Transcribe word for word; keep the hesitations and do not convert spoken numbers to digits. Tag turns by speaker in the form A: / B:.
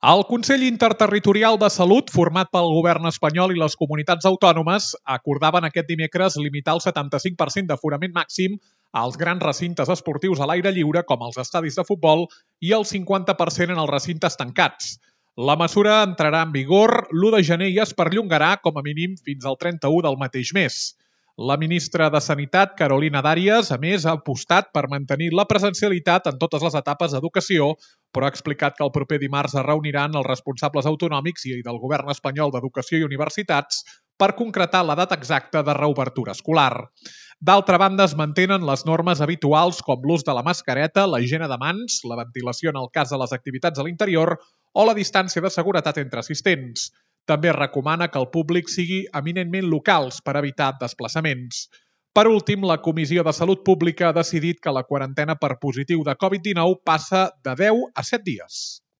A: El Consell Interterritorial de Salut, format pel govern espanyol i les comunitats autònomes, acordaven aquest dimecres limitar el setanta-cinc per cent d'aforament màxim als grans recintes esportius a l'aire lliure, com els estadis de futbol, i el cinquanta per cent en els recintes tancats. La mesura entrarà en vigor l'u de gener i es perllongarà com a mínim fins al trenta-u del mateix mes. La ministra de Sanitat, Carolina Dàries, a més, ha apostat per mantenir la presencialitat en totes les etapes d'educació, però ha explicat que el proper dimarts es reuniran els responsables autonòmics i del govern espanyol d'Educació i Universitats per concretar la data exacta de reobertura escolar. D'altra banda, es mantenen les normes habituals com l'ús de la mascareta, la higiene de mans, la ventilació en el cas de les activitats a l'interior o la distància de seguretat entre assistents. També recomana que el públic sigui eminentment locals per evitar desplaçaments. Per últim, la Comissió de Salut Pública ha decidit que la quarantena per positiu de covid dinou passa de deu a set dies.